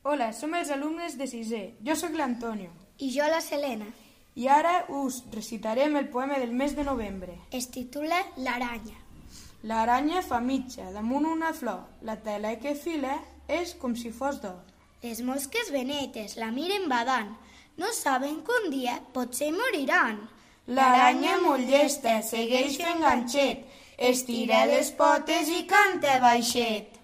Hola, som els alumnes de sisè. Jo sóc l'Antonio. I jo la Selena. I ara us recitarem el poema del mes de novembre. Es titula L'aranya. L'aranya fa mitja damunt una flor. La tela que fila és com si fos d'or. Les mosques benetes la miren badant. No saben que un dia potser moriran. L'aranya molt llesta segueix fent ganxet. Estira les potes i canta baixet.